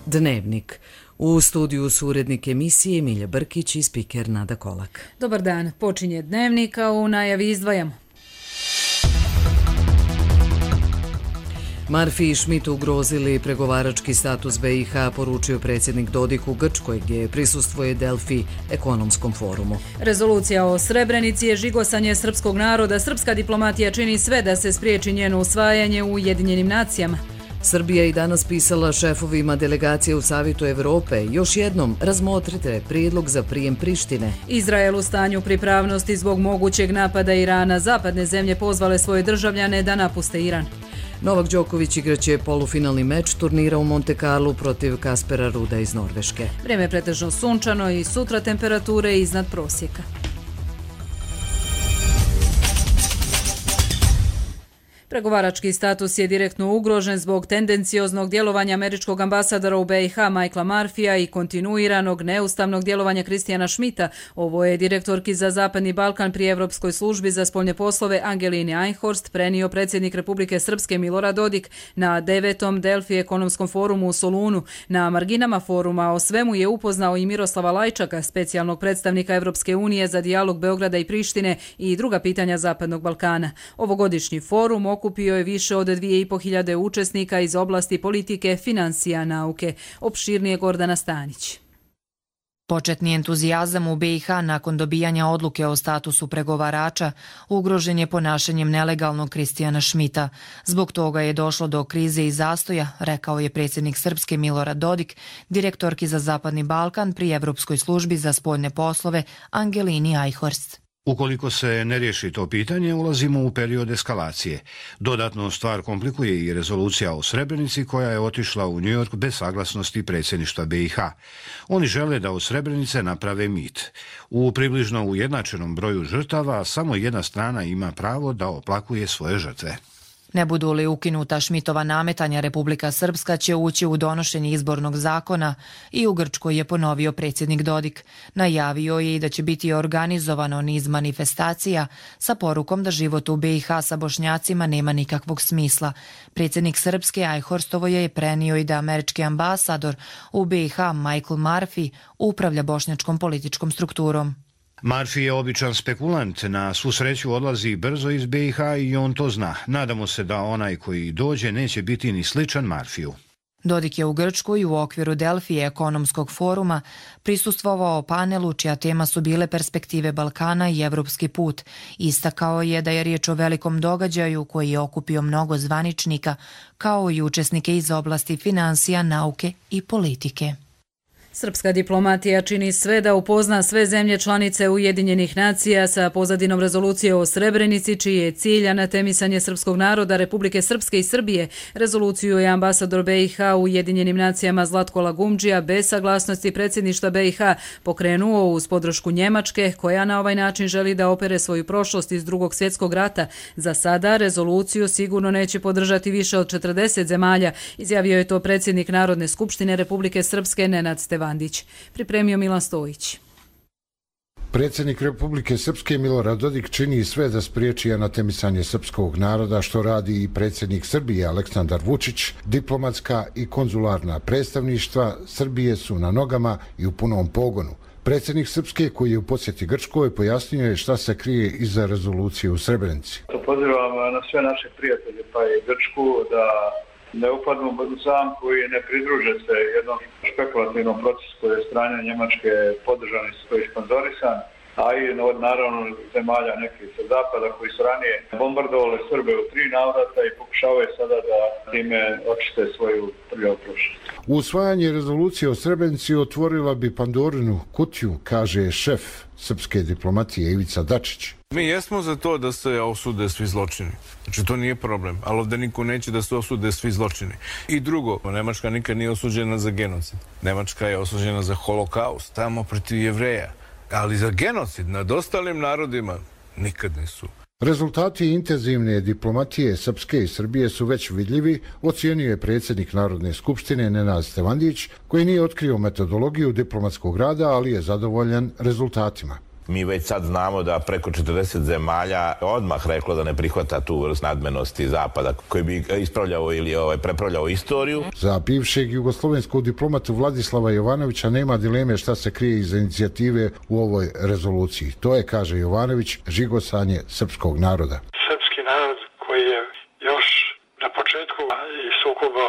Dnevnik. U studiju su urednik emisije Milja Brkić i spiker Nada Kolak. Dobar dan, počinje Dnevnik, a u najavi izdvajamo. Marfi i Schmidt ugrozili pregovarački status BiH, poručio predsjednik Dodik u Grčkoj, gdje prisustvuje Delfi ekonomskom forumu. Rezolucija o Srebrenici je žigosanje srpskog naroda. Srpska diplomatija čini sve da se spriječi njeno usvajanje u Ujedinjenim nacijama. Srbija i danas pisala šefovima delegacije u Savjetu Evrope. Još jednom razmotrite prijedlog za prijem Prištine. Izrael u stanju pripravnosti zbog mogućeg napada Irana. Zapadne zemlje pozvale svoje državljane da napuste Iran. Novak Đoković igraće polufinalni meč turnira u Monte Carlu protiv Kaspera Ruda iz Norveške. Vrijeme je pretežno sunčano i sutra temperature iznad prosjeka. Pregovarački status je direktno ugrožen zbog tendencioznog djelovanja američkog ambasadora u BiH Michaela Murphyja i kontinuiranog neustavnog djelovanja Christiana Schmidta. Ovo je direktorki za Zapadni Balkan pri Evropskoj službi za spoljne poslove Angelini Einhorst prenio predsjednik Republike Srpske Milorad Dodik na 9. Delfi ekonomskom forumu u Solunu. Na marginama foruma o svemu je upoznao i Miroslava Lajčaka, specijalnog predstavnika Evropske unije za dijalog Beograda i Prištine i druga pitanja Zapadnog Balkana. Ovogodišnji forum okupio je više od 2500 učesnika iz oblasti politike, financija, nauke. Opširnije Gordana Stanić. Početni entuzijazam u BiH nakon dobijanja odluke o statusu pregovarača ugrožen je ponašanjem nelegalnog Christiana Schmidta. Zbog toga je došlo do krize i zastoja, rekao je predsjednik Srpske Milorad Dodik, direktorki za Zapadni Balkan pri Evropskoj službi za spoljne poslove Angelini Einhorst. Ukoliko se ne riješi to pitanje, ulazimo u period eskalacije. Dodatno stvar komplikuje i rezolucija o Srebrenici koja je otišla u New York bez saglasnosti predsjedništva BiH. Oni žele da od Srebrenice naprave mit. U približno ujednačenom broju žrtava samo jedna strana ima pravo da oplakuje svoje žrtve. Ne budu li ukinuta Schmidtova nametanja, Republika Srpska će ući u donošenje izbornog zakona i u Grčkoj je ponovio predsjednik Dodik. Najavio je i da će biti organizovano niz manifestacija sa porukom da život u BiH sa Bošnjacima nema nikakvog smisla. Predsjednik Srpske Einhorstovo je prenio i da američki ambasador u BiH Michael Murphy upravlja bošnjačkom političkom strukturom. Murphy je običan spekulant, na svu sreću odlazi brzo iz BiH i on to zna. Nadamo se da onaj koji dođe neće biti ni sličan Murphyju. Dodik je u Grčkoj u okviru Delfi ekonomskog foruma prisustvovao panelu čija tema su bile perspektive Balkana i evropski put. Istakao je da je riječ o velikom događaju koji je okupio mnogo zvaničnika, kao i učesnike iz oblasti financija, nauke i politike. Srpska diplomatija čini sve da upozna sve zemlje članice Ujedinjenih nacija sa pozadinom rezolucije o Srebrenici, čiji je cilj anatemisanje srpskog naroda, Republike Srpske i Srbije. Rezoluciju je ambasador BiH u Ujedinjenim nacijama Zlatko Lagumdžija bez saglasnosti predsjedništva BiH pokrenuo uz podršku Njemačke, koja na ovaj način želi da opere svoju prošlost iz Drugog svjetskog rata. Za sada rezoluciju sigurno neće podržati više od 40 zemalja, izjavio je to predsjednik Narodne skupštine Republike Srpske Nenad Stevandić. Pripremio Milan Stojić. Predsjednik Republike Srpske Milorad Dodik čini sve da spriječi anatemisanje srpskog naroda, što radi i predsjednik Srbije Aleksandar Vučić. Diplomatska i konzularna predstavništva Srbije su na nogama i u punom pogonu. Predsjednik Srpske, koji je u posjeti Grčkoj, pojasnio je šta se krije iza rezolucije u Srebrenici. Pozivam na sve naše prijatelje, pa i Grčku, da ne upadnu u zamku i ne pridruže se jednom špekulativnom procesu koji je strane Njemačke podržan i koji je sponzorisan, a i naravno zemalja nekih sa zapada koji su ranije bombardovali Srbe u 3 navrata i pokušavaju sada da time očiste svoju prljavu prošlost. Usvajanje rezolucije o Srebrenici otvorila bi Pandorinu kutiju, kaže šef srpske diplomatije Ivica Dačić. Mi jesmo za to da se osude svi zločini. Znači, to nije problem, ali ovdje niko neće da se osude svi zločini. I drugo, Nemačka nikad nije osuđena za genocid. Nemačka je osuđena za holokaust, tamo protiv Jevreja. Ali za genocid nad ostalim narodima nikad nisu. Rezultati intenzivne diplomatije Srpske i Srbije su već vidljivi, ocijenio je predsjednik Narodne skupštine Nenad Stevandić, koji nije otkrio metodologiju diplomatskog rada, ali je zadovoljan rezultatima. Mi već sad znamo da preko 40 zemalja odmah reklo da ne prihvata tu vrst nadmenosti Zapada koji bi ispravljao ili prepravljao istoriju. Za bivšeg jugoslovenskog diplomatu Vladislava Jovanovića nema dileme šta se krije iza inicijative u ovoj rezoluciji. To je, kaže Jovanović, žigosanje srpskog naroda. Srpski narod koji je još na početku sukoba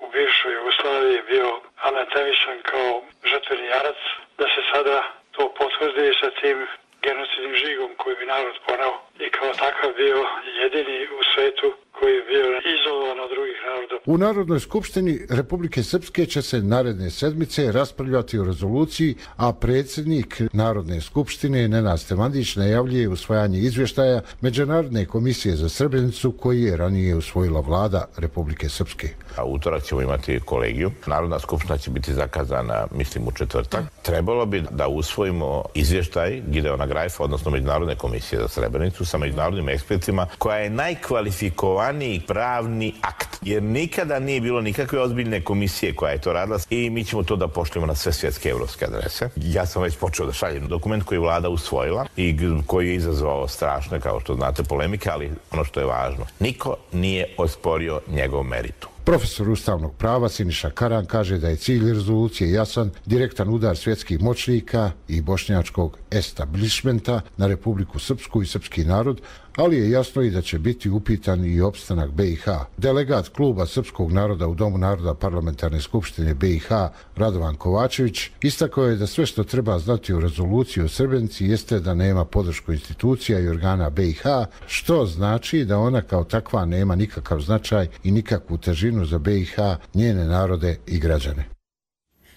u bivšoj Jugoslaviji bio anatemisan kao žrtveni jarac, da se sada to potvrdi sa tim genocidnim žigom koji bi narod poneo i kao takav bio jedini u svetu koji je bio izolovan od drugih naroda. U Narodnoj skupštini Republike Srpske će se naredne sedmice raspravljati o rezoluciji, a predsjednik Narodne skupštine Nenad Stevandić najavljuje usvajanje izvještaja Međunarodne komisije za Srebrenicu koji je ranije usvojila vlada Republike Srpske. A utorak ćemo imati kolegiju. Narodna skupština će biti zakazana, mislim, u četvrtak. Trebalo bi da usvojimo izvještaj Gideona Grajfa, odnosno Međunarodne komisije za Srebrenicu sa međunarodnim ekspertima, koja je najkvalifikovaniji pravni akt. Jer nikada nije bilo nikakve ozbiljne komisije koja je to radila i mi ćemo to da pošljemo na sve svjetske evropske adrese. Ja sam već počeo da šaljem dokument koji je vlada usvojila i koji je izazvao strašne, kao što znate, polemike, ali ono što je važno, niko nije osporio njegov meritum. Profesor ustavnog prava Siniša Karan kaže da je cilj rezolucije jasan, direktan udar svjetskih moćnika i bošnjačkog establishmenta na Republiku Srpsku i srpski narod, ali je jasno i da će biti upitan i opstanak BiH. Delegat kluba Srpskog naroda u Domu naroda Parlamentarne skupštine BiH Radovan Kovačević istakao je da sve što treba znati o rezoluciji o Srebrenici jeste da nema podršku institucija i organa BiH, što znači da ona kao takva nema nikakav značaj i nikakvu težinu za BiH, njene narode i građane.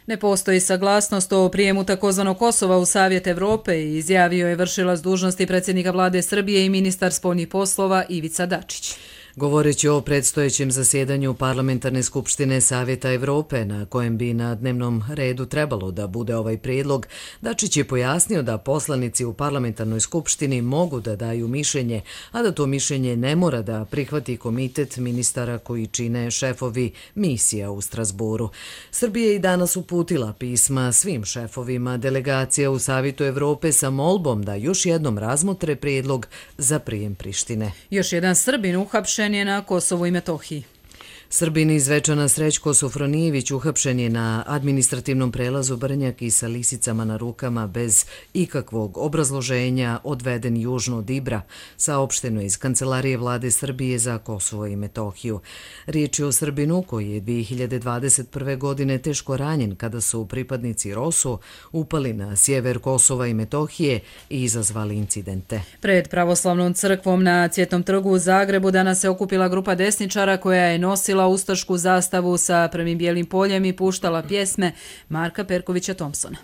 Ne postoji saglasnost o prijemu takozvanog Kosova u Savjet Evrope, izjavio je vršilac dužnosti predsjednika vlade Srbije i ministar spoljnih poslova Ivica Dačić. Govoreći o predstojećem zasjedanju Parlamentarne skupštine Savjeta Evrope, na kojem bi na dnevnom redu trebalo da bude ovaj prijedlog, Dačić je pojasnio da poslanici u Parlamentarnoj skupštini mogu da daju mišljenje, a da to mišljenje ne mora da prihvati komitet ministara koji čine šefovi misija u Strasboru. Srbija je i danas uputila pisma svim šefovima delegacija u Savjetu Evrope sa molbom da još jednom razmotre prijedlog za prijem Prištine. Još jedan Srbin uhapšen je na Kosovu i Metohiji. Srbin iz Zvečana Srećko Sofronijević uhapšen je na administrativnom prelazu Brnjak i sa lisicama na rukama bez ikakvog obrazloženja odveden južno od Ibra, saopšteno iz Kancelarije vlade Srbije za Kosovo i Metohiju. Riječ je o Srbinu koji je 2021. godine teško ranjen kada su pripadnici ROSU upali na sjever Kosova i Metohije i izazvali incidente. Pred pravoslavnom crkvom na Cvjetnom trgu u Zagrebu danas se okupila grupa desničara koja je nosila ustašku zastavu sa prvim bijelim poljem i puštala pjesme Marka Perkovića Thompsona.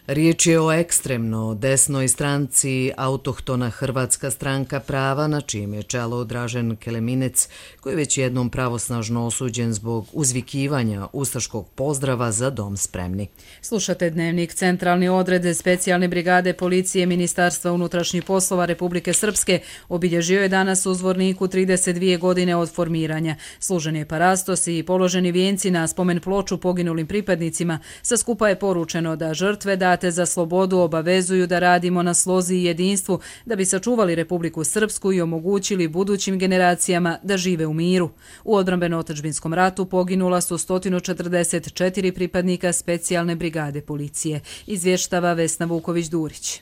Riječ je o ekstremno desnoj stranci Autohtona Hrvatska stranka prava, na čijem je čelo Dražen Keleminec, koji je već jednom pravosnažno osuđen zbog uzvikivanja ustaškog pozdrava za dom spremni. Slušate Dnevnik. Centralni odred specijalne brigade policije Ministarstva unutrašnjih poslova Republike Srpske obilježio je danas u Zvorniku 32 godine od formiranja. Služen je parastos i položeni vijenci na spomen ploču poginulim pripadnicima. Sa skupa je poručeno da žrtve date za slobodu obavezuju da radimo na slozi i jedinstvu da bi sačuvali Republiku Srpsku i omogućili budućim generacijama da žive u miru. U odbrambeno-otadžbinskom ratu poginula su 144 pripadnika specijalne brigade policije, izvještava Vesna Vuković-Durić.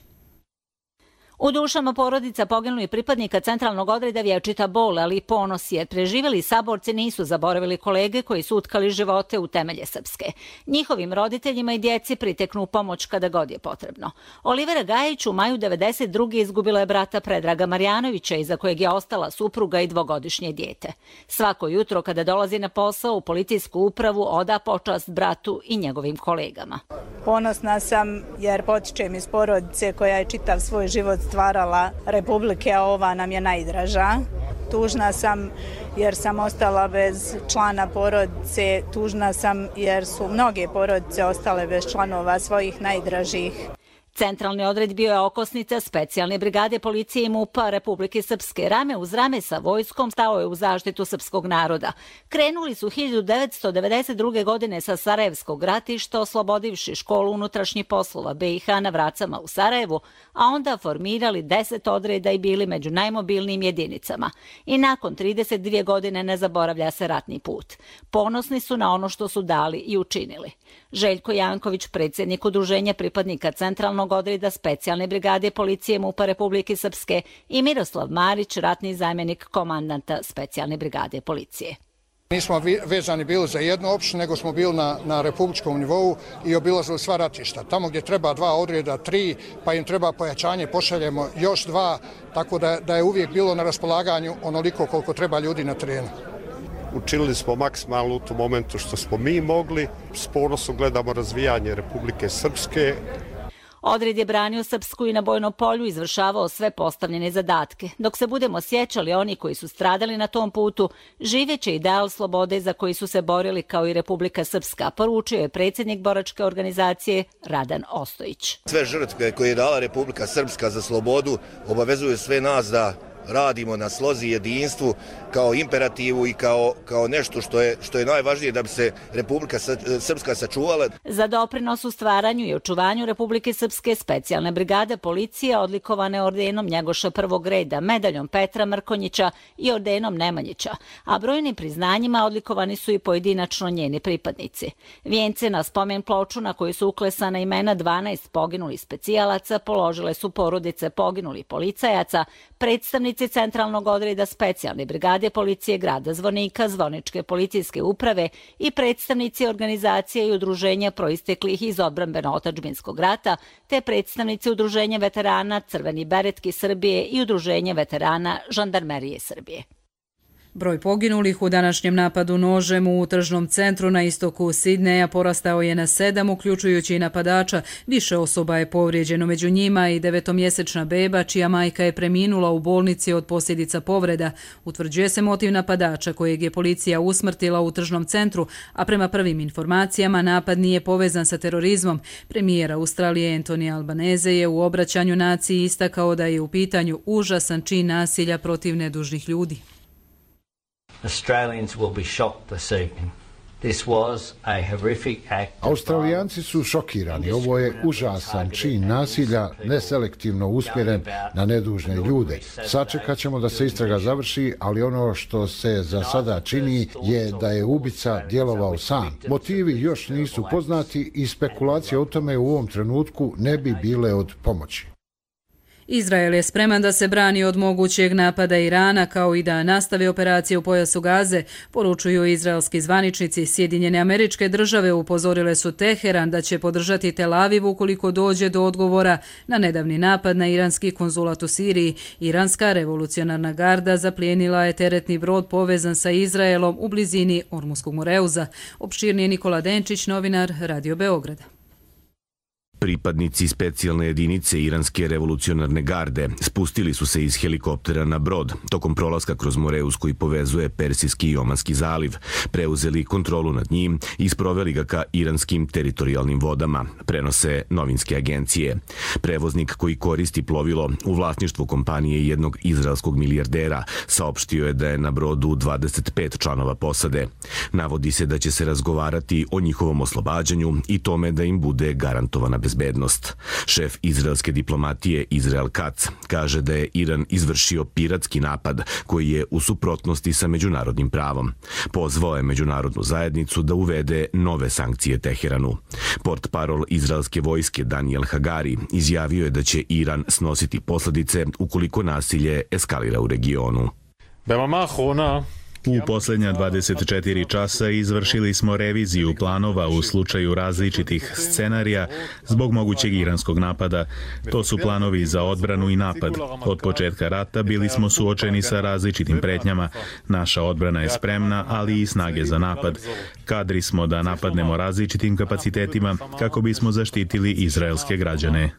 U dušama porodica poginulih pripadnika centralnog odreda vječita bol, ali i ponos, jer preživjeli saborci nisu zaboravili kolege koji su utkali živote u temelje Srpske. Njihovim roditeljima i djeci priteknu pomoć kada god je potrebno. Olivera Gajić u maju 1992. izgubila je brata Predraga Marjanovića, iza kojeg je ostala supruga i dvogodišnje dijete. Svako jutro kada dolazi na posao u policijsku upravu oda počast bratu i njegovim kolegama. Ponosna sam jer potičem iz porodice koja je čitav svoj život stvarala Republike, a ova nam je najdraža. Tužna sam jer sam ostala bez člana porodice, tužna sam jer su mnoge porodice ostale bez članova svojih najdražih. Centralni odred bio je okosnica specijalne brigade policije i MUP-a Republike Srpske. Rame uz rame sa vojskom stao je u zaštitu srpskog naroda. Krenuli su 1992. godine sa Sarajevskog ratišta, oslobodivši školu unutrašnjih poslova BiH na Vracama u Sarajevu, a onda formirali 10 odreda i bili među najmobilnijim jedinicama. I nakon 32 godine ne zaboravlja se ratni put. Ponosni su na ono što su dali i učinili. Željko Janković, predsjednik Udruženja pripadnika Centralnog odreda specijalne brigade policije MUP-a Republike Srpske, i Miroslav Marić, ratni zamjenik komandanta specijalne brigade policije. Nismo vezani bili za jednu opštinu, nego smo bili na republičkom nivou i obilazili sva ratišta. Tamo gdje treba 2 odreda, 3, pa im treba pojačanje, pošaljemo još 2, tako da je uvijek bilo na raspolaganju onoliko koliko treba ljudi na terenu. Učinili smo maksimalno u tom momentu što smo mi mogli. S ponosom gledamo razvijanje Republike Srpske. Odred je branio Srpsku i na bojnom polju izvršavao sve postavljene zadatke. Dok se budemo sjećali oni koji su stradali na tom putu, živeće ideal slobode za koji su se borili kao i Republika Srpska, poručio je predsjednik boračke organizacije Radan Ostojić. Sve žrtve koje je dala Republika Srpska za slobodu obavezuju sve nas da radimo na slozi jedinstvu kao imperativu i kao nešto što je najvažnije da bi se Republika Srpska sačuvala. Za doprinos u stvaranju i očuvanju Republike Srpske specijalne brigade policije odlikovane ordenom Njegoša prvog reda, medaljom Petra Mrkonjića i ordenom Nemanjića, a brojnim priznanjima odlikovani su i pojedinačno njeni pripadnici. Vijence na spomen ploču na koju su uklesana imena 12 poginulih specijalaca položile su porodice poginulih policajaca, predstavnici Centralnog odreda specijalne brigade policije grada Zvornika, Zvorničke policijske uprave i predstavnici organizacije i udruženja proisteklih iz odbrambeno-otadžbinskog rata, te predstavnici udruženja veterana Crveni beretki Srbije i udruženja veterana Žandarmerije Srbije. Broj poginulih u današnjem napadu nožem u tržnom centru na istoku Sidneja porastao je na 7, uključujući i napadača. Više osoba je povrijeđeno, među njima i 9-mjesečna beba, čija majka je preminula u bolnici od posljedica povreda. Utvrđuje se motiv napadača, kojeg je policija usmrtila u tržnom centru, a prema prvim informacijama napad nije povezan sa terorizmom. Premijer Australije Anthony Albanese je u obraćanju naciji istakao da je u pitanju užasan čin nasilja protiv nedužnih ljudi. Australijanci su šokirani. Ovo je užasan čin nasilja, neselektivno usmjeren na nedužne ljude. Sačekat ćemo da se istraga završi, ali ono što se za sada čini je da je ubica djelovao sam. Motivi još nisu poznati i spekulacije o tome u ovom trenutku ne bi bile od pomoći. Izrael je spreman da se brani od mogućeg napada Irana, kao i da nastavi operacije u pojasu Gaze, poručuju izraelski zvaničnici. Sjedinjene Američke Države upozorile su Teheran da će podržati Tel Aviv ukoliko dođe do odgovora na nedavni napad na iranski konzulat u Siriji. Iranska revolucionarna garda zaplijenila je teretni brod povezan sa Izraelom u blizini Ormuskog Moreuza. Opširnije Nikola Denčić, novinar Radio Beograda. Pripadnici specijalne jedinice Iranske revolucionarne garde spustili su se iz helikoptera na brod tokom prolaska kroz Moreuz koji povezuje Persijski i Omanski zaliv, preuzeli kontrolu nad njim i sproveli ga ka iranskim teritorijalnim vodama, prenose novinske agencije. Prevoznik koji koristi plovilo u vlasništvu kompanije jednog izraelskog milijardera saopštio je da je na brodu 25 članova posade. Navodi se da će se razgovarati o njihovom oslobađanju i tome da im bude garantovana bezbednost. Šef izraelske diplomatije Izrael Katz kaže da je Iran izvršio piratski napad koji je u suprotnosti sa međunarodnim pravom. Pozvao je međunarodnu zajednicu da uvede nove sankcije Teheranu. Portparol izraelske vojske Daniel Hagari izjavio je da će Iran snositi posljedice ukoliko nasilje eskalira u regionu. U posljednja 24 časa izvršili smo reviziju planova u slučaju različitih scenarija zbog mogućeg iranskog napada. To su planovi za odbranu i napad. Od početka rata bili smo suočeni sa različitim pretnjama. Naša odbrana je spremna, ali i snage za napad. Kadri smo da napadnemo različitim kapacitetima kako bismo zaštitili izraelske građane.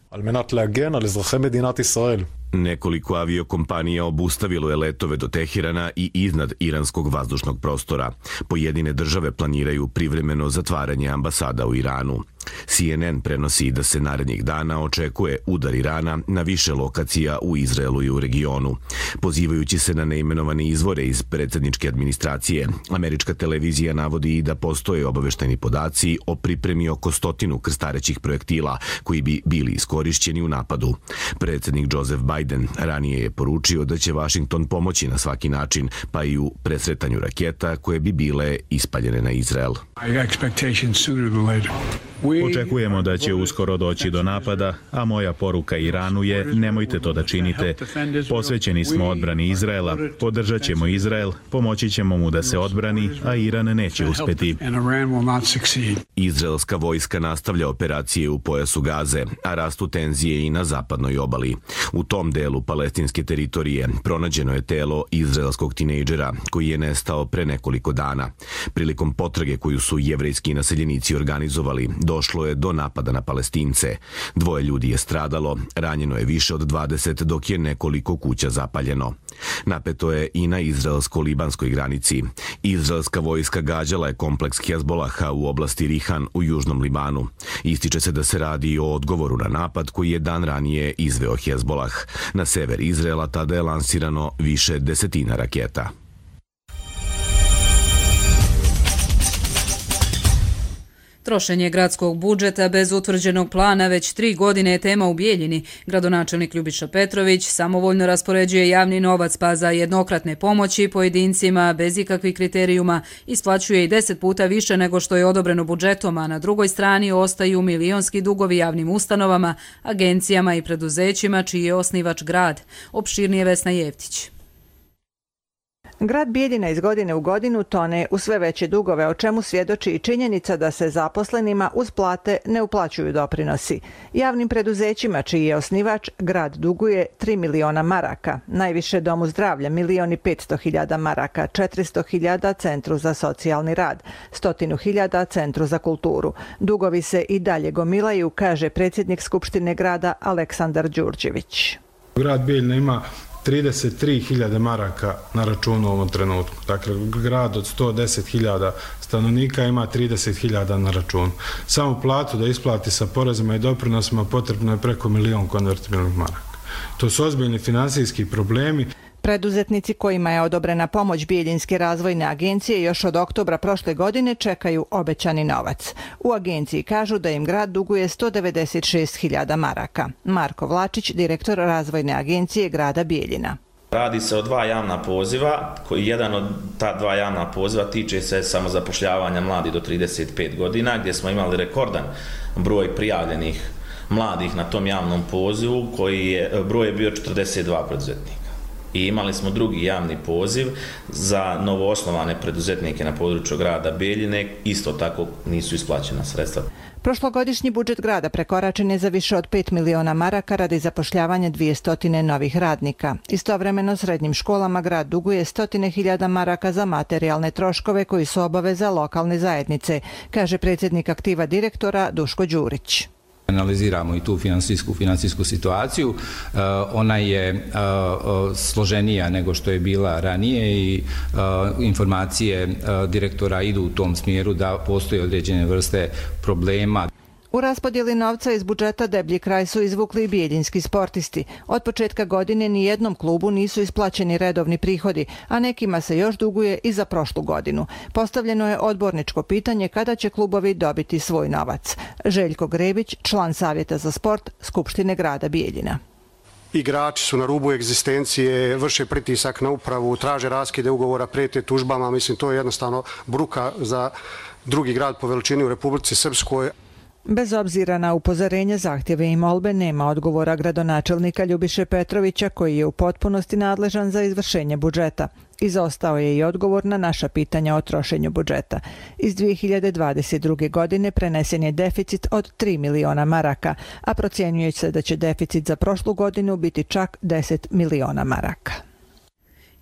Nekoliko aviokompanija obustavilo je letove do Teherana i iznad iranskog vazdušnog prostora. Pojedine države planiraju privremeno zatvaranje ambasada u Iranu. CNN prenosi da se narednih dana očekuje udar Irana na više lokacija u Izraelu i u regionu. Pozivajući se na neimenovane izvore iz predsjedničke administracije, američka televizija navodi i da postoje obaveštajni podaci o pripremi oko 100 krstarećih projektila koji bi bili iskorišćeni u napadu. Predsjednik Joseph Biden ranije je poručio da će Washington pomoći na svaki način, pa i u presretanju raketa koje bi bile ispaljene na Izrael. Očekujemo da će uskoro doći do napada, a moja poruka Iranu je nemojte to da činite. Posvećeni smo odbrani Izraela, podržat ćemo Izrael, pomoći ćemo mu da se odbrani, a Iran neće uspeti. Izraelska vojska nastavlja operacije u pojasu Gaze, a rastu tenzije i na zapadnoj obali. U tom delu palestinske teritorije pronađeno je telo izraelskog tinejdžera koji je nestao pre nekoliko dana. Prilikom potrage koju su jevrejski naseljenici organizovali, došlo je do napada na Palestince. 2 ljudi je stradalo, ranjeno je više od 20, dok je nekoliko kuća zapaljeno. Napeto je i na izraelsko-libanskoj granici. Izraelska vojska gađala je kompleks Hezbolaha u oblasti Rihan u južnom Libanu. Ističe se da se radi o odgovoru na napad koji je dan ranije izveo Hezbolah. Na sever Izraela tada je lansirano više desetina raketa. Trošenje gradskog budžeta bez utvrđenog plana već 3 godine je tema u Bijeljini. Gradonačelnik Ljubiša Petrović samovoljno raspoređuje javni novac, pa za jednokratne pomoći pojedincima bez ikakvih kriterijuma isplaćuje i 10 puta više nego što je odobreno budžetom, a na drugoj strani ostaju milionski dugovi javnim ustanovama, agencijama i preduzećima čiji je osnivač grad. Opširnije Vesna Jevtić. Grad Bijeljina iz godine u godinu tone u sve veće dugove, o čemu svjedoči i činjenica da se zaposlenima uz plate ne uplaćuju doprinosi. Javnim preduzećima čiji je osnivač grad duguje 3 miliona maraka, najviše Domu zdravlja 1.500.000 maraka, 400.000 Centru za socijalni rad, 100.000 Centru za kulturu. Dugovi se i dalje gomilaju, kaže predsjednik Skupštine grada Aleksandar Đurđević. Grad Bijeljina ima 33.000 maraka na računu u ovom trenutku. Dakle, grad od 110.000 stanovnika ima 30.000 na računu. Samo platu da isplati sa porezima i doprinosima potrebno je preko 1 milion konvertibilnih maraka. To su ozbiljni finansijski problemi. Preduzetnici kojima je odobrena pomoć Bijeljinske razvojne agencije još od oktobra prošle godine čekaju obećani novac. U agenciji kažu da im grad duguje 196.000 maraka. Marko Vlačić, direktor razvojne agencije grada Bijeljina. Radi se o 2 javna poziva, koji jedan od ta 2 javna poziva tiče se samozapošljavanja mladih do 35 godina, gdje smo imali rekordan broj prijavljenih mladih na tom javnom pozivu, broj je bio 42 preduzetnika. I imali smo drugi javni poziv za novoosnovane preduzetnike na području grada Bijeljine, isto tako nisu isplaćena sredstva. Prošlogodišnji budžet grada prekoračen je za više od 5 miliona maraka radi zapošljavanja 200 novih radnika. Istovremeno srednjim školama grad duguje 100.000 maraka za materijalne troškove koji su obaveza lokalne zajednice, kaže predsjednik aktiva direktora Duško Đurić. Analiziramo i tu finansijsku situaciju. Ona je složenija nego što je bila ranije i informacije direktora idu u tom smjeru da postoje određene vrste problema. U raspodjeli novca iz budžeta deblji kraj su izvukli i bijeljinski sportisti. Od početka godine ni jednom klubu nisu isplaćeni redovni prihodi, a nekima se još duguje i za prošlu godinu. Postavljeno je odborničko pitanje kada će klubovi dobiti svoj novac. Željko Grebić, član Savjeta za sport Skupštine grada Bijeljina. Igrači su na rubu egzistencije, vrše pritisak na upravu, traže raskide ugovora, prijete tužbama. Mislim, to je jednostavno bruka za drugi grad po veličini u Republici Srpskoj. Bez obzira na upozorenje, zahtjeve i molbe, nema odgovora gradonačelnika Ljubiše Petrovića, koji je u potpunosti nadležan za izvršenje budžeta. Izostao je i odgovor na naša pitanja o trošenju budžeta. Iz 2022. godine prenesen je deficit od 3 miliona maraka, a procjenjuje se da će deficit za prošlu godinu biti čak 10 miliona maraka.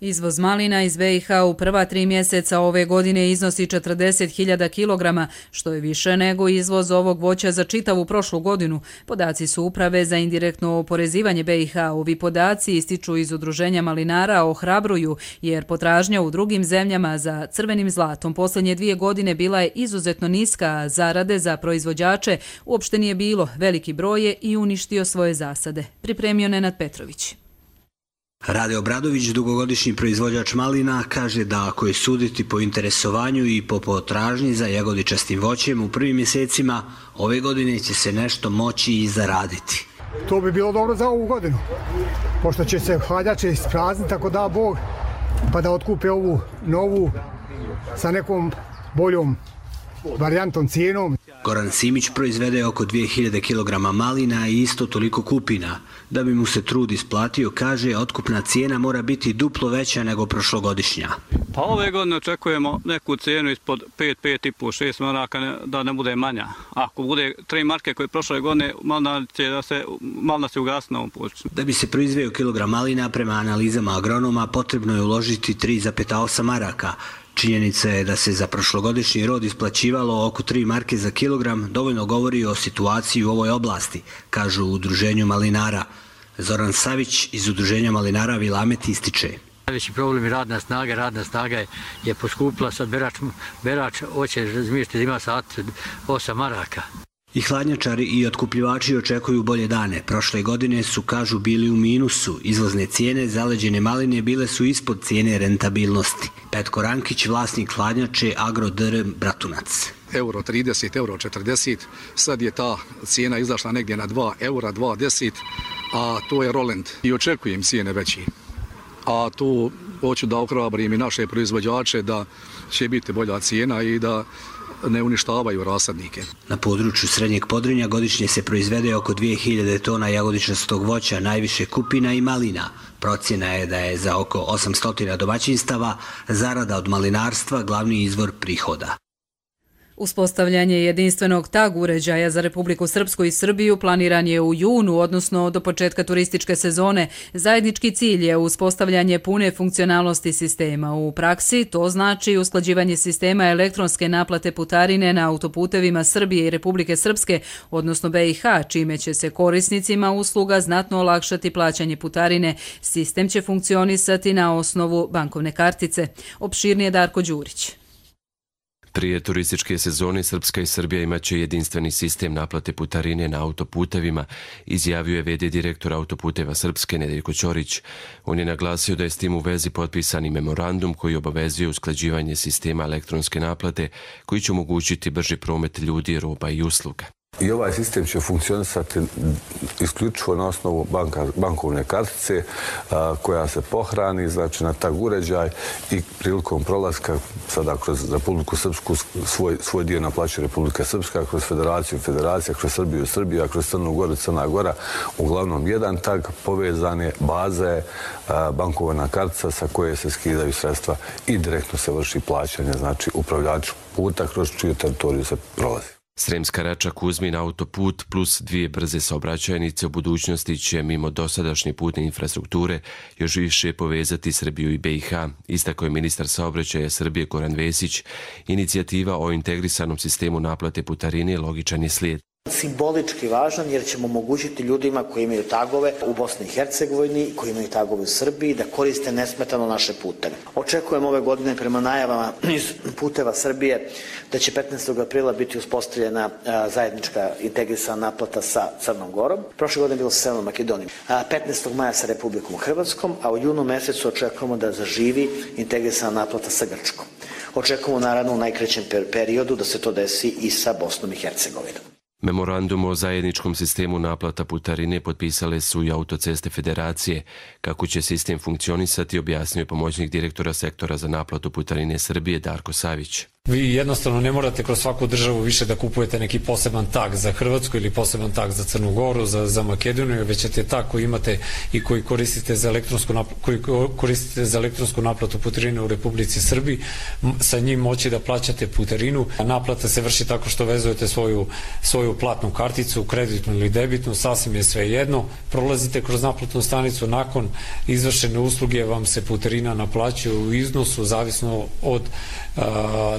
Izvoz malina iz BiH u prva 3 mjeseca ove godine iznosi 40.000 kilograma, što je više nego izvoz ovog voća za čitavu prošlu godinu. Podaci su Uprave za indirektno oporezivanje BiH. Ovi podaci ističu iz Udruženja malinara ohrabruju, jer potražnja u drugim zemljama za crvenim zlatom posljednje 2 godine bila je izuzetno niska, a zarade za proizvođače uopšte nije bilo. Veliki broj je i uništio svoje zasade. Pripremio Nenad Petrović. Rade Obradović, dugogodišnji proizvođač malina, kaže da ako je suditi po interesovanju i po potražnji za jagodičastim voćem u prvim mjesecima, ove godine će se nešto moći i zaraditi. To bi bilo dobro za ovu godinu, pošto će se hladnjače isprazniti, tako da Bog, pa da otkupe ovu novu sa nekom boljom varijantom, cijenom. Goran Simić proizvede oko 2000 kg malina i isto toliko kupina. Da bi mu se trud isplatio, kaže, otkupna cijena mora biti duplo veća nego prošlogodišnja. Pa ove godine očekujemo neku cijenu ispod 5, 5,5, 6 maraka, da ne bude manja. Ako bude 3 marke koje prošle godine, malina se ugasne na ovom području. Da bi se proizveo kilogram malina, prema analizama agronoma, potrebno je uložiti 3,8 maraka. Činjenica je da se za prošlogodišnji rod isplaćivalo oko 3 marke za kilogram, dovoljno govori o situaciji u ovoj oblasti, kažu u Udruženju malinara. Zoran Savić iz Udruženja malinara Vilamet ističe. Najveći problem je radna snaga je poskupila, sad berač hoće razmišljati, ima sat 8 maraka. I hladnjačari i otkupljivači očekuju bolje dane. Prošle godine su, kažu, bili u minusu. Izvozne cijene zaleđene maline bile su ispod cijene rentabilnosti. Petko Rankić, vlasnik hladnjače Agro DR Bratunac. Euro 30, euro 40, sad je ta cijena izašla negdje na 2 eura, 2,10, a to je Roland. I očekujem cijene veći. A tu hoću da ohrabrim i naše proizvođače da će biti bolja cijena i da ne uništavaju rasadnike. Na području Srednjeg Podrinja godišnje se proizvede oko 2000 tona jagodičastog voća, najviše kupina i malina. Procjena je da je za oko 800 domaćinstava zarada od malinarstva glavni izvor prihoda. Uspostavljanje jedinstvenog tag uređaja za Republiku Srpsku i Srbiju planiran je u junu, odnosno do početka turističke sezone. Zajednički cilj je uspostavljanje pune funkcionalnosti sistema. U praksi to znači usklađivanje sistema elektronske naplate putarine na autoputevima Srbije i Republike Srpske, odnosno BiH, čime će se korisnicima usluga znatno olakšati plaćanje putarine. Sistem će funkcionisati na osnovu bankovne kartice. Opširnije Darko Đurić. Prije turističke sezone Srpska i Srbija imaće jedinstveni sistem naplate putarine na autoputevima, izjavio je VD direktor Autoputeva Srpske Nedeljko Ćorić. On je naglasio da je s tim u vezi potpisani memorandum koji obavezuje usklađivanje sistema elektronske naplate koji će omogućiti brži promet ljudi, roba i usluga. I ovaj sistem će funkcionisati isključivo na osnovu bankovne kartice koja se pohrani, znači na tag uređaj i prilikom prolaska sada kroz Republiku Srpsku svoj dio naplaćuje Republika Srpska, kroz Federaciju Federacija, kroz Srbiju Srbija, kroz Crnu Goru Crna Gora. Uglavnom jedan tag povezane baze bankovna kartica sa koje se skidaju sredstva i direktno se vrši plaćanje, znači upravljaču puta kroz čiju teritoriju se prolazi. Sremska Rača-Kuzmin autoput plus 2 brze saobraćajnice u budućnosti će mimo dosadašnje putne infrastrukture još više povezati Srbiju i BiH, istakao je ministar saobraćaja Srbije Goran Vesić. Inicijativa o integrisanom sistemu naplate putarine logičan je slijed. Simbolički važan jer ćemo omogućiti ljudima koji imaju tagove u Bosni i Hercegovini, koji imaju tagove u Srbiji, da koriste nesmetano naše puteve. Očekujem ove godine prema najavama iz Puteva Srbije da će 15. aprila biti uspostavljena zajednička integrisana naplata sa Crnom Gorom. Prošle godine bilo sa Severnom Makedonijom. 15. maja sa Republikom Hrvatskom, a u junu mesecu očekujemo da zaživi integrisana naplata sa Grčkom. Očekujemo naravno u najkraćem periodu da se to desi i sa Bosnom i Hercegovinom. Memorandum o zajedničkom sistemu naplata putarine potpisale su i Autoceste Federacije. Kako će sistem funkcionisati, objasnio je pomoćnik direktora sektora za naplatu putarine Srbije Darko Savić. Vi jednostavno ne morate kroz svaku državu više da kupujete neki poseban tag za Hrvatsku ili poseban tag za Crnu Goru, za Makedoniju, već ćete tag koji imate i koji koristite za elektronsku naplatu putarine u Republici Srbiji, sa njim moći da plaćate putarinu. Naplata se vrši tako što vezujete svoju platnu karticu, kreditnu ili debitnu, sasvim je sve jedno. Prolazite kroz naplatnu stanicu, nakon izvršene usluge vam se putarina naplaćuje u iznosu zavisno od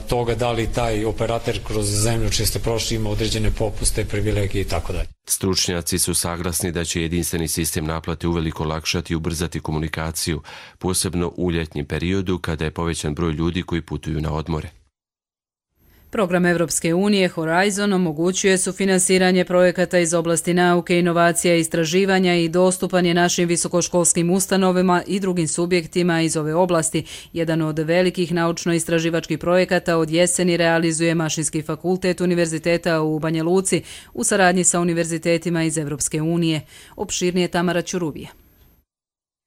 toga da li taj operator kroz zemlju čije ste prošli ima određene popuste, privilegije i tako dalje. Stručnjaci su saglasni da će jedinstveni sistem naplate uveliko olakšati i ubrzati komunikaciju, posebno u ljetnjem periodu kada je povećan broj ljudi koji putuju na odmore. Program Evropske unije Horizon omogućuje sufinansiranje projekata iz oblasti nauke, inovacija i istraživanja i dostupan je našim visokoškolskim ustanovama i drugim subjektima iz ove oblasti. Jedan od velikih naučno-istraživačkih projekata od jeseni realizuje Mašinski fakultet Univerziteta u Banja Luci u saradnji sa univerzitetima iz Evropske unije. Opširnije Tamara Ćuruvija.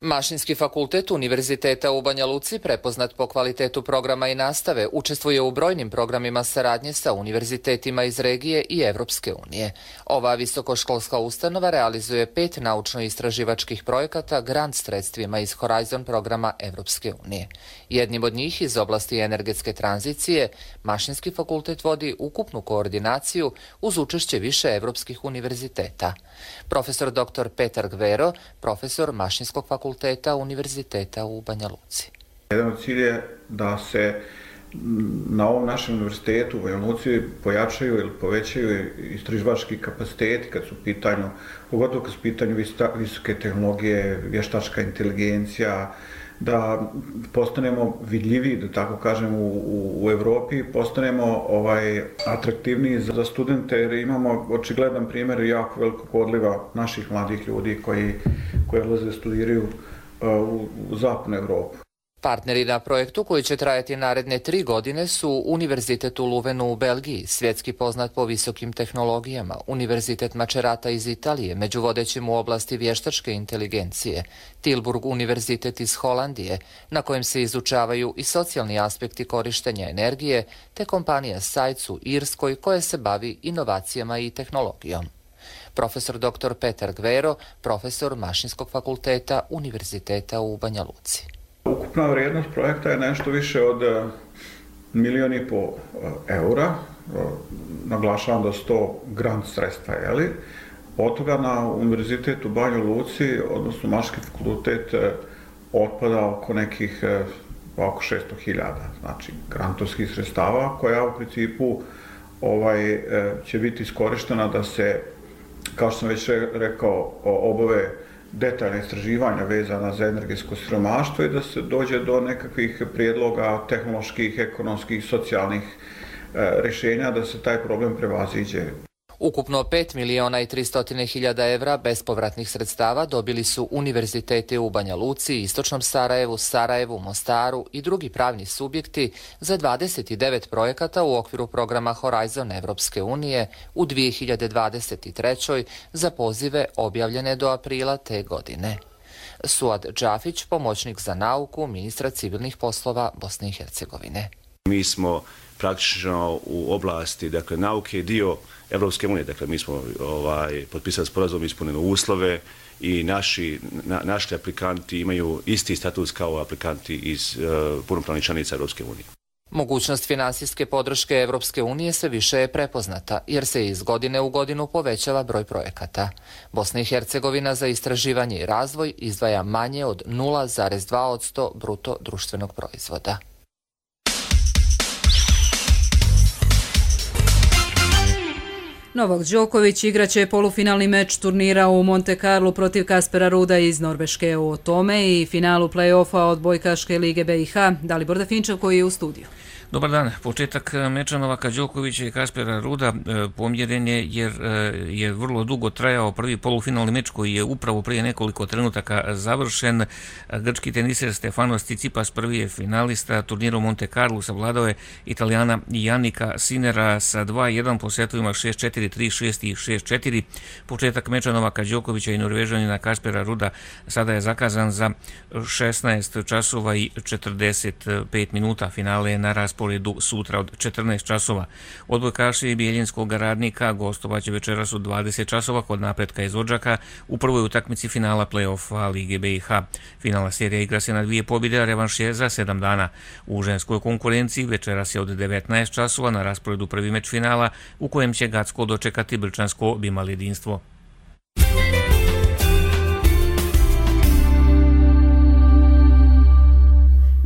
Mašinski fakultet Univerziteta u Banja Luci, prepoznat po kvalitetu programa i nastave, učestvuje u brojnim programima saradnje sa univerzitetima iz regije i Evropske unije. Ova visokoškolska ustanova realizuje 5 naučno-istraživačkih projekata grant sredstvima iz Horizon programa Evropske unije. Jednim od njih iz oblasti energetske tranzicije, Mašinski fakultet vodi ukupnu koordinaciju uz učešće više evropskih univerziteta. Profesor dr. Petar Gvero, profesor Mašinskog fakulteta Univerziteta u Banja Luci. Jedan od cilja je da se na ovom našem univerzitetu u Banja Luci pojačaju ili povećaju istraživački kapaciteti kad su u pitanju, pogotovo kad su u pitanju visoke tehnologije, vještačka inteligencija, da postanemo vidljiviji, da tako kažem, u Evropi, postanemo atraktivniji za studente, jer imamo očigledan primjer jako velikog odliva naših mladih ljudi koji odlaze studiraju u zapadnu Evropu. Partneri na projektu koji će trajati naredne 3 godine su Univerzitet u Luvenu u Belgiji, svjetski poznat po visokim tehnologijama, Univerzitet Macerata iz Italije, među vodećim u oblasti vještačke inteligencije, Tilburg Univerzitet iz Holandije, na kojem se izučavaju i socijalni aspekti korištenja energije, te kompanija Sajc u Irskoj koja se bavi inovacijama i tehnologijom. Profesor dr. Petar Gvero, profesor Mašinskog fakulteta Univerziteta u Banja Luci. Ukupna vrijednost projekta je nešto više od 1,5 milijuna eura. Naglašavam da su to grant sredstva, jeli? Od toga na Univerzitetu u Banju Luci, odnosno Mašinski fakultet, otpada oko nekih oko 600.000, znači grantovskih sredstava, koja u principu će biti iskorištena da se, kao što sam već rekao, obave detaljna istraživanja vezana za energetsko siromaštvo i da se dođe do nekakvih prijedloga tehnoloških, ekonomskih, socijalnih rješenja da se taj problem prevaziđe. Ukupno 5.300.000 evra bespovratnih sredstava dobili su univerziteti u Banja Luci, Istočnom Sarajevu, Mostaru i drugi pravni subjekti za 29 projekata u okviru programa Horizon Evropske unije u 2023. za pozive objavljene do aprila te godine. Suad Džafić, pomoćnik za nauku, ministra civilnih poslova Bosne i Hercegovine. Mi smo praktično u oblasti nauke dio Evropske unije, mi smo potpisali sporazum, ispunili uslove i naši aplikanti imaju isti status kao aplikanti iz punopravnih članica Evropske unije. Mogućnost finansijske podrške Evropske unije sve više je prepoznata, jer se iz godine u godinu povećava broj projekata. Bosna i Hercegovina za istraživanje i razvoj izdvaja manje od 0,2% bruto društvenog proizvoda. Novak Đoković igraće polufinalni meč turnira u Monte Carlo protiv Kaspera Ruda iz Norveške. O tome i finalu play-offa odbojkaške lige BiH. Dalibor Dafinčev koji je u studiju. Dobar dan. Početak meča Novaka Đokovića i Kaspera Ruda pomjeren je jer je vrlo dugo trajao prvi polufinalni meč koji je upravo prije nekoliko trenutaka završen. Grčki teniser Stefanos Tsitsipas prvi je finalista turnira u Monte Carlo, savladao je Italijana Jannika Sinera sa 2-1 po setovima 6-4, 3-6 i 6-4. Početak meča Novaka Đokovića i Norvežanina Kaspera Ruda sada je zakazan za 16 časova i 45 minuta. Finale je na rasporedu rasporedu sutra od 14 časova. Odbojkaši Bijeljinskog Radnika gostovaće večeras u 20 časova kod Napretka iz Odžaka u prvoj utakmici finala play-offa Lige BiH. Finalna serija igra se na 2 pobjede, a revanš je za 7 dana. U ženskoj konkurenciji večeras je od 19 časova na rasporedu prvi meč finala u kojem će Gacko dočekati Brčansko Bimal jedinstvo.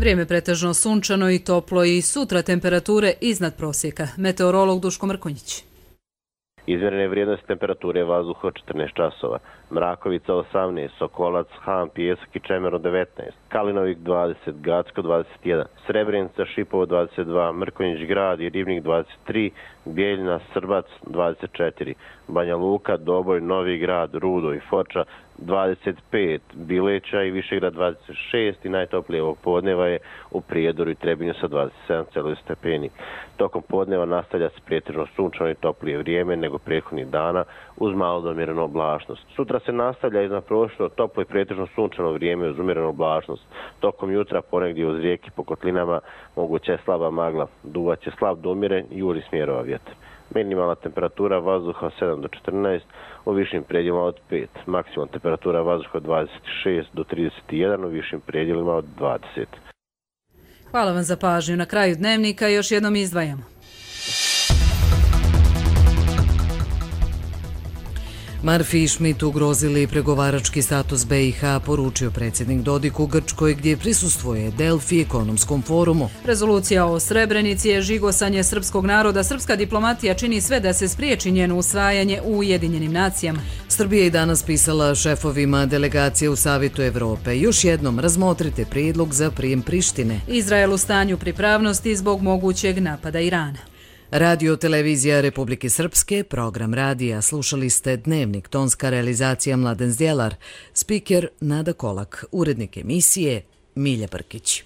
Vrijeme pretežno sunčano i toplo i sutra temperature iznad prosjeka. Meteorolog Duško Mrkonjić. Izmjerene vrijednosti temperature vazduha 14 časova. Mrakovica 18, Sokolac, Han, Pijesak i Čemer 19, Kalinovik 20, Gacko 21, Srebrenica, Šipovo 22, Mrkonjić Grad i Ribnik 23, Bijeljina, Srbac 24, Banja Luka, Doboj, Novi Grad, Rudo i Foča 25, Bileća i Višegrad 26 i najtoplije ovog podneva je u Prijedoru i Trebinju sa 27 stepeni. Tokom podneva nastavlja se pretežno sunčano i toplije vrijeme nego prethodnih dana uz malo do umjerenu oblačnost. Sutra se nastavlja iznadprosječno toplo i pretežno sunčano vrijeme uz umjerenu oblačnost. Tokom jutra ponegdje uz rijeki po kotlinama moguća je slaba magla, duvaće slab do umjeren i južnih smjerova vjetar. Minimalna temperatura vazduha 7 do 14, u višim predjelima od 5. Maksimalna temperatura vazduha 26 do 31, u višim predjelima od 20. Hvala vam za pažnju. Na kraju dnevnika još jednom izdvajamo. Marfi i Schmidt ugrozili pregovarački status BiH, poručio predsjednik Dodik u Grčkoj gdje prisustvuje Delfi ekonomskom forumu. Rezolucija o Srebrenici je žigosanje srpskog naroda. Srpska diplomatija čini sve da se spriječi njeno usvajanje u Ujedinjenim nacijama. Srbija je danas pisala šefovima delegacije u Savjetu Evrope. Još jednom razmotrite prijedlog za prijem Prištine. Izrael u stanju pripravnosti zbog mogućeg napada Irana. Radio televizija Republike Srpske, program radija, slušali ste Dnevnik, tonska realizacija Mladen Zdjelar, spiker Nada Kolak, urednik emisije Milja Brkić.